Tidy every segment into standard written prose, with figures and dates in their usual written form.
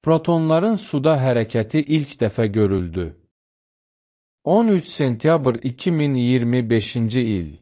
Protonların suda hərəkəti ilk dəfə görüldü. 13 sentyabr 2025-ci il.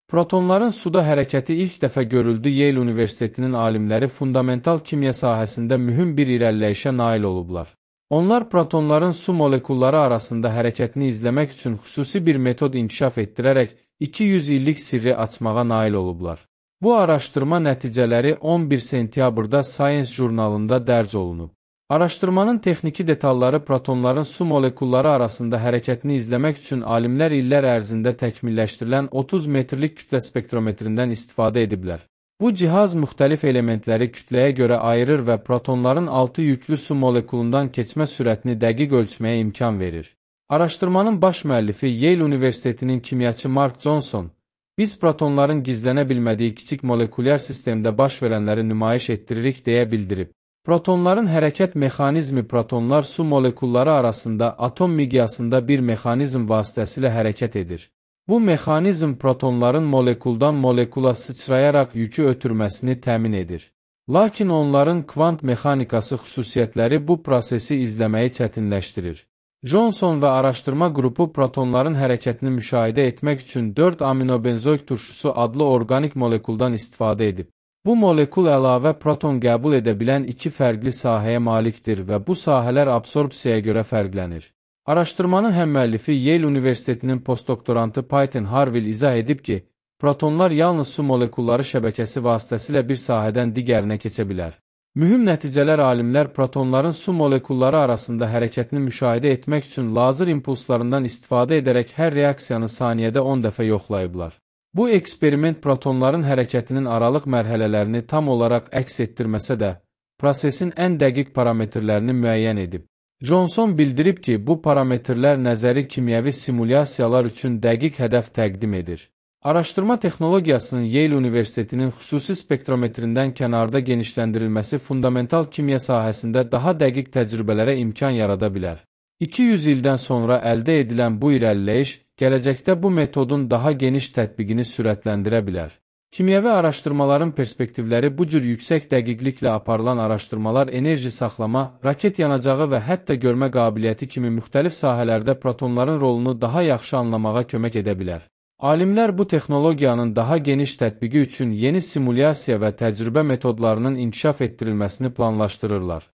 Protonların suda hərəkəti ilk dəfə görüldü. Yale Universitetinin alimləri fundamental kimya sahəsində mühüm bir irəliləyişə nail olublar. Onlar protonların su molekulları arasında hərəkətini izləmək üçün xüsusi bir metod inkişaf etdirərək 200 illik sirri açmağa nail olublar. Bu araşdırma nəticələri 11 sentyabrda Science jurnalında dərc olunub. Araşdırmanın texniki detalları protonların su molekulları arasında hərəkətini izləmək üçün alimlər illər ərzində təkmilləşdirilən 30 metrlik kütlə spektrometrindən istifadə ediblər. Bu cihaz müxtəlif elementləri kütləyə görə ayırır və protonların 6 yüklü su molekulundan keçmə sürətini dəqiq ölçməyə imkan verir. Araşdırmanın baş müəllifi Yale Universitetinin kimyaçı Mark Johnson, biz protonların gizlənə bilmədiyi kiçik molekulyar sistemdə baş verənləri nümayiş etdiririk deyə bildirib. Protonların hərəkət mexanizmi protonlar su molekulları arasında atom miqyasında bir mexanizm vasitəsilə hərəkət edir. Bu mexanizm protonların molekuldan molekula sıçrayaraq yükü ötürməsini təmin edir. Lakin onların kvant mexanikası xüsusiyyətləri bu prosesi izləməyi çətinləşdirir. Johnson və araşdırma qrupu protonların hərəkətini müşahidə etmək üçün 4 aminobenzoik turşusu adlı orqanik molekuldan istifadə edib. Bu molekul əlavə proton qəbul edə bilən 2 fərqli sahəyə malikdir və bu sahələr absorpsiyaya görə fərqlənir. Araşdırmanın həmmüəllifi Yale Universitetinin postdoktorantı Peyton Harville izah edib ki, protonlar yalnız su molekulları şəbəkəsi vasitəsilə bir sahədən digərinə keçə bilər. Mühüm nəticələr alimlər protonların su molekulları arasında hərəkətini müşahidə etmək üçün lazer impulslarından istifadə edərək hər reaksiyanı saniyədə 10 dəfə yoxlayıblar. Bu eksperiment protonların hərəkətinin aralıq mərhələlərini tam olaraq əks etdirməsə də, prosesin ən dəqiq parametrlərini müəyyən edib. Johnson bildirib ki, bu parametrlər nəzəri kimyəvi simulyasiyalar üçün dəqiq hədəf təqdim edir. Araşdırma texnologiyasının Yale Universitetinin xüsusi spektrometrindən kənarda genişləndirilməsi fundamental kimya sahəsində daha dəqiq təcrübələrə imkan yarada bilər. 200 ildən sonra əldə edilən bu irəliləyiş, gələcəkdə bu metodun daha geniş tətbiqini sürətləndirə bilər. Kimyəvi araşdırmaların perspektivləri bu cür yüksək dəqiqliklə aparılan araşdırmalar enerji saxlama, raket yanacağı və hətta görmə qabiliyyəti kimi müxtəlif sahələrdə protonların rolunu daha yaxşı anlamağa kömək edə bilər. Alimlər bu texnologiyanın daha geniş tətbiqi üçün yeni simulyasiya və təcrübə metodlarının inkişaf etdirilməsini planlaşdırırlar.